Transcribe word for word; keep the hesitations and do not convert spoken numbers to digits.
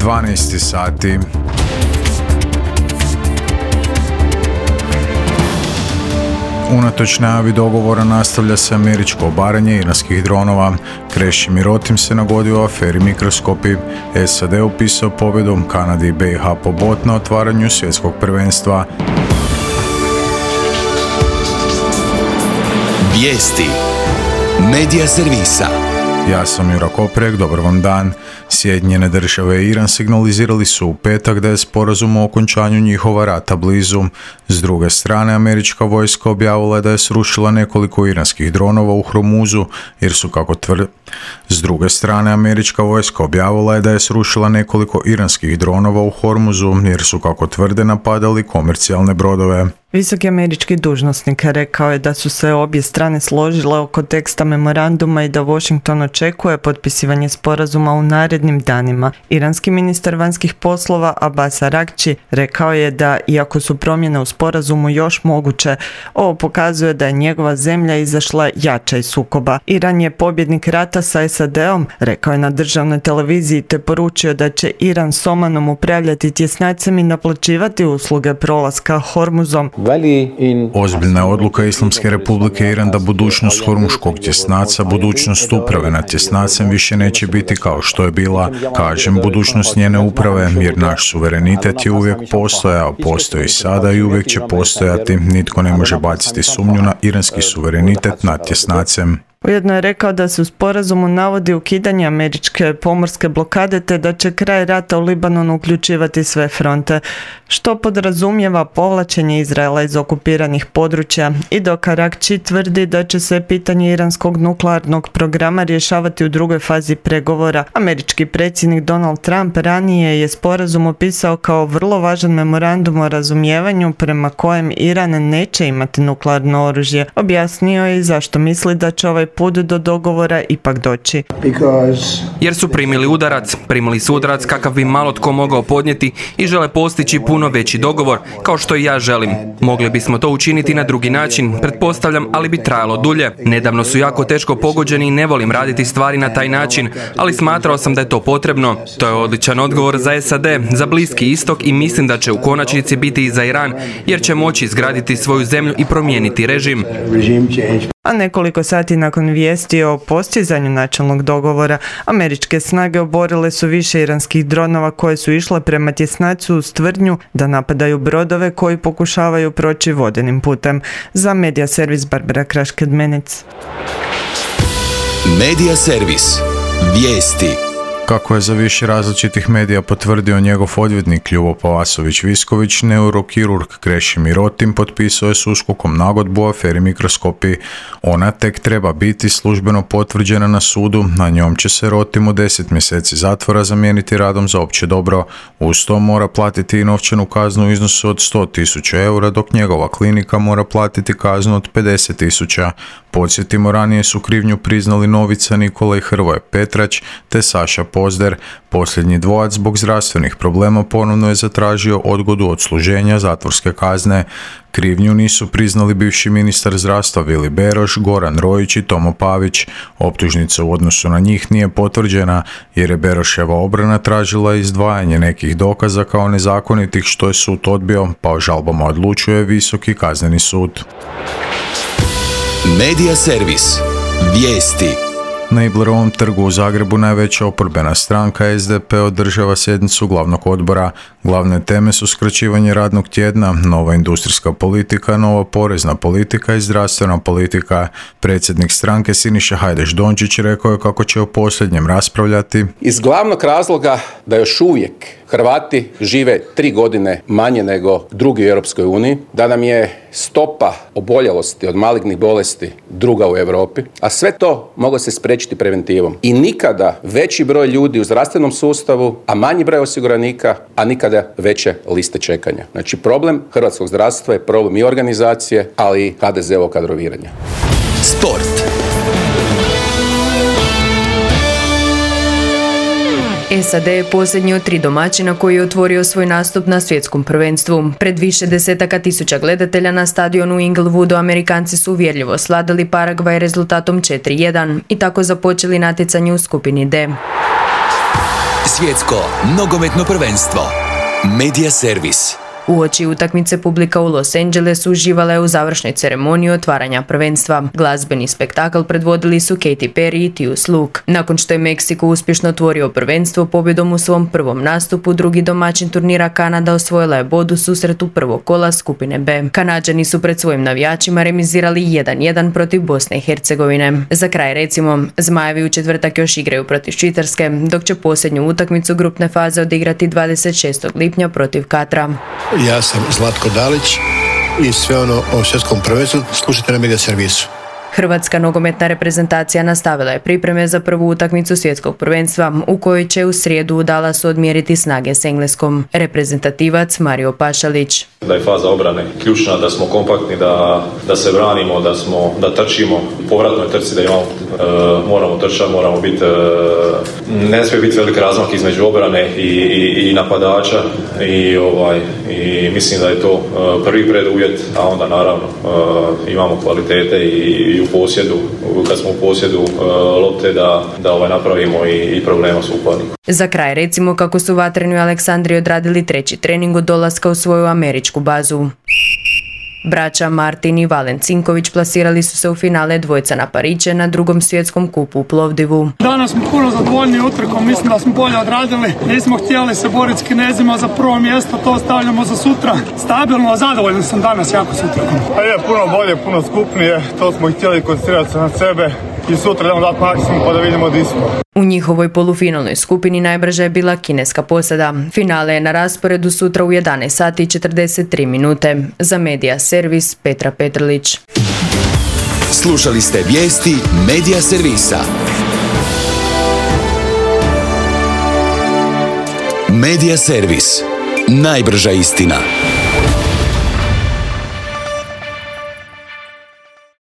dvanaest sati. Unatoč najavi dogovora nastavlja se američko obaranje iranskih dronova. Krešimir Rotim se nagodio u aferi Mikroskopi. S A D upisao pobjedu Kanadi i B i H po bot na otvaranju svjetskog prvenstva. Vijesti Medija servisa. Ja sam Jura Koprek, dobar vam dan. Sjedinjene države i Iran signalizirali su u petak da je sporazum o okončanju njihova rata blizu. S druge strane, američka vojska objavila da je srušila nekoliko iranskih dronova u Hormuzu, jer su kako tvrde... S druge strane, američka vojska objavila je da je srušila nekoliko iranskih dronova u Hormuzu, jer su kako tvrde napadali komercijalne brodove. Visoki američki dužnosnik rekao je da su se obje strane složile oko teksta memoranduma i da Washington očekuje potpisivanje sporazuma u narednim danima. Iranski ministar vanjskih poslova Abbas Araghchi rekao je da, iako su promjene u sporazumu još moguće, ovo pokazuje da je njegova zemlja izašla jača iz sukoba. Iran je pobjednik rata sa S A D-om, rekao je na državnoj televiziji, te poručio da će Iran s Omanom upravljati tjesnacem i naplaćivati usluge prolaska Hormuzom. Ozbiljna je odluka Islamske republike Iran da budućnost hormuškog tjesnaca, budućnost uprave nad tjesnacem više neće biti kao što je bila. Kažem budućnost njene uprave, jer naš suverenitet je uvijek postojao, postoji sada i uvijek će postojati. Nitko ne može baciti sumnju na iranski suverenitet nad tjesnacem. Ujedno je rekao da se u sporazumu navodi ukidanje američke pomorske blokade te da će kraj rata u Libanonu uključivati sve fronte, što podrazumijeva povlačenje Izraela iz okupiranih područja, i dok Araghchi tvrdi da će se pitanje iranskog nuklearnog programa rješavati u drugoj fazi pregovora. Američki predsjednik Donald Trump ranije je sporazum opisao kao vrlo važan memorandum o razumijevanju prema kojem Iran neće imati nuklearno oružje. Objasnio je i zašto misli da će ovaj put do dogovora ipak doći. Jer su primili udarac, primili su udarac kakav bi malo tko mogao podnijeti i žele postići puno veći dogovor, kao što i ja želim. Mogli bismo to učiniti na drugi način, pretpostavljam, ali bi trajalo dulje. Nedavno su jako teško pogođeni i ne volim raditi stvari na taj način, ali smatrao sam da je to potrebno. To je odličan odgovor za S A D, za Bliski istok i mislim da će u konačnici biti i za Iran, jer će moći izgraditi svoju zemlju i promijeniti režim. A nekoliko sati nakon vijesti o postizanju načelnog dogovora, američke snage oborile su više iranskih dronova koje su išle prema tjesnacu uz tvrdnju da napadaju brodove koji pokušavaju proći vodenim putem. Za Medija servis Barbara Kraš-Kedmenec. Medija servis. Vijesti. Kako je za više različitih medija potvrdio njegov odvjetnik Ljubo Pavasović-Visković, neurokirurg Krešimir Rotim potpisao je s USKOK-om nagodbu u aferi Mikroskopi. Ona tek treba biti službeno potvrđena na sudu, na njom će se Rotimu deset mjeseci zatvora zamijeniti radom za opće dobro. Uz to mora platiti i novčanu kaznu u iznosu od sto tisuća eura, dok njegova klinika mora platiti kaznu od pedeset tisuća. Podsjetimo, ranije su krivnju priznali Novica, Nikola i Hrvoje Petrać te Saša Pozder. Posljednji dvojac zbog zdravstvenih problema ponovno je zatražio odgodu odsluženja zatvorske kazne. Krivnju nisu priznali bivši ministar zdravstva Vili Beroš, Goran Rojić i Tomo Pavić. Optužnica u odnosu na njih nije potvrđena jer je Beroševa obrana tražila izdvajanje nekih dokaza kao nezakonitih, što je sud odbio, pa o žalbama odlučuje Visoki kazneni sud. Medija servis. Vijesti. Na Iblerovom trgu u Zagrebu najveća oporbena stranka S D P održava sjednicu glavnog odbora. Glavne teme su skraćivanje radnog tjedna, nova industrijska politika, nova porezna politika i zdravstvena politika. Predsjednik stranke Siniša Hajdaš Dončić rekao je kako će o posljednjem raspravljati iz glavnog razloga da još uvijek Hrvati žive tri godine manje nego drugi u Europskoj uniji, da nam je stopa oboljelosti od malignih bolesti druga u Europi, a sve to moglo se spriječiti preventivom. I nikada veći broj ljudi u zdravstvenom sustavu, a manji broj osiguranika, a nikada veće liste čekanja. Znači problem hrvatskog zdravstva je problem i organizacije, ali i H D Z-ovog kadroviranja. Sport. S A D je posljednji od tri domaćina koji je otvorio svoj nastup na svjetskom prvenstvu. Pred više desetaka tisuća gledatelja na stadionu u Inglewoodu Amerikanci su uvjerljivo sladili Paragvaj rezultatom četiri jedan i tako započeli natjecanje u skupini D. Svjetsko nogometno prvenstvo. Medija servis. Uoči utakmice publika u Los Angelesu uživala je u završnoj ceremoniji otvaranja prvenstva. Glazbeni spektakl predvodili su Katy Perry i Tius Luke. Nakon što je Meksiko uspješno otvorio prvenstvo pobjedom u svom prvom nastupu, drugi domaćin turnira Kanada osvojila je bod u susretu prvog kola skupine B. Kanađani su pred svojim navijačima remizirali jedan jedan protiv Bosne i Hercegovine. Za kraj recimo, Zmajevi u četvrtak još igraju protiv Švicarske, dok će posljednju utakmicu grupne faze odigrati dvadeset šestog lipnja protiv Katra. Ja sam Zlatko Dalić i sve ono o svjetskom prvenstvu slušajte na Medija servisu. Hrvatska nogometna reprezentacija nastavila je pripreme za prvu utakmicu svjetskog prvenstva u kojoj će u srijedu u Dallasu odmjeriti snage s Engleskom. Reprezentativac Mario Pašalić. Da je faza obrane ključna, da smo kompaktni, da, da se branimo, da, smo, da trčimo. U povratnoj trci da imamo, e, moramo trčati, moramo biti, e, ne smije biti velik razmak između obrane i, i, i napadača i, ovaj, i mislim da je to e, prvi preduvjet, a onda naravno e, imamo kvalitete i, i u posjedu, kad smo u posjedu e, lopte da, da ovaj napravimo i, i problema s upadnikom. Za kraj recimo kako su vatreni u Aleksandriji odradili treći trening od dolaska u svoju američku bazu. Braća Martin i Valen Cinković plasirali su se u finale dvojca na Pariće na drugom svjetskom kupu u Plovdivu. Danas smo puno zadovoljni utrkom, mislim da smo bolje odradili. Nismo htjeli se boriti s Kinezima za prvo mjesto, to stavljamo za sutra. Stabilno, zadovoljan sam danas jako s utrkom. A je puno bolje, puno skupnije, to smo htjeli koncentrirati se na sebe i sutra idemo dati maksimum pa da vidimo di smo. U njihovoj polufinalnoj skupini najbrža je bila kineska posada. Finale je na rasporedu sutra u jedanaest sati i četrdeset tri minute. Za Medija servis Petra Petrlić. Slušali ste vijesti Medija servisa. Medija servis. Najbrža istina.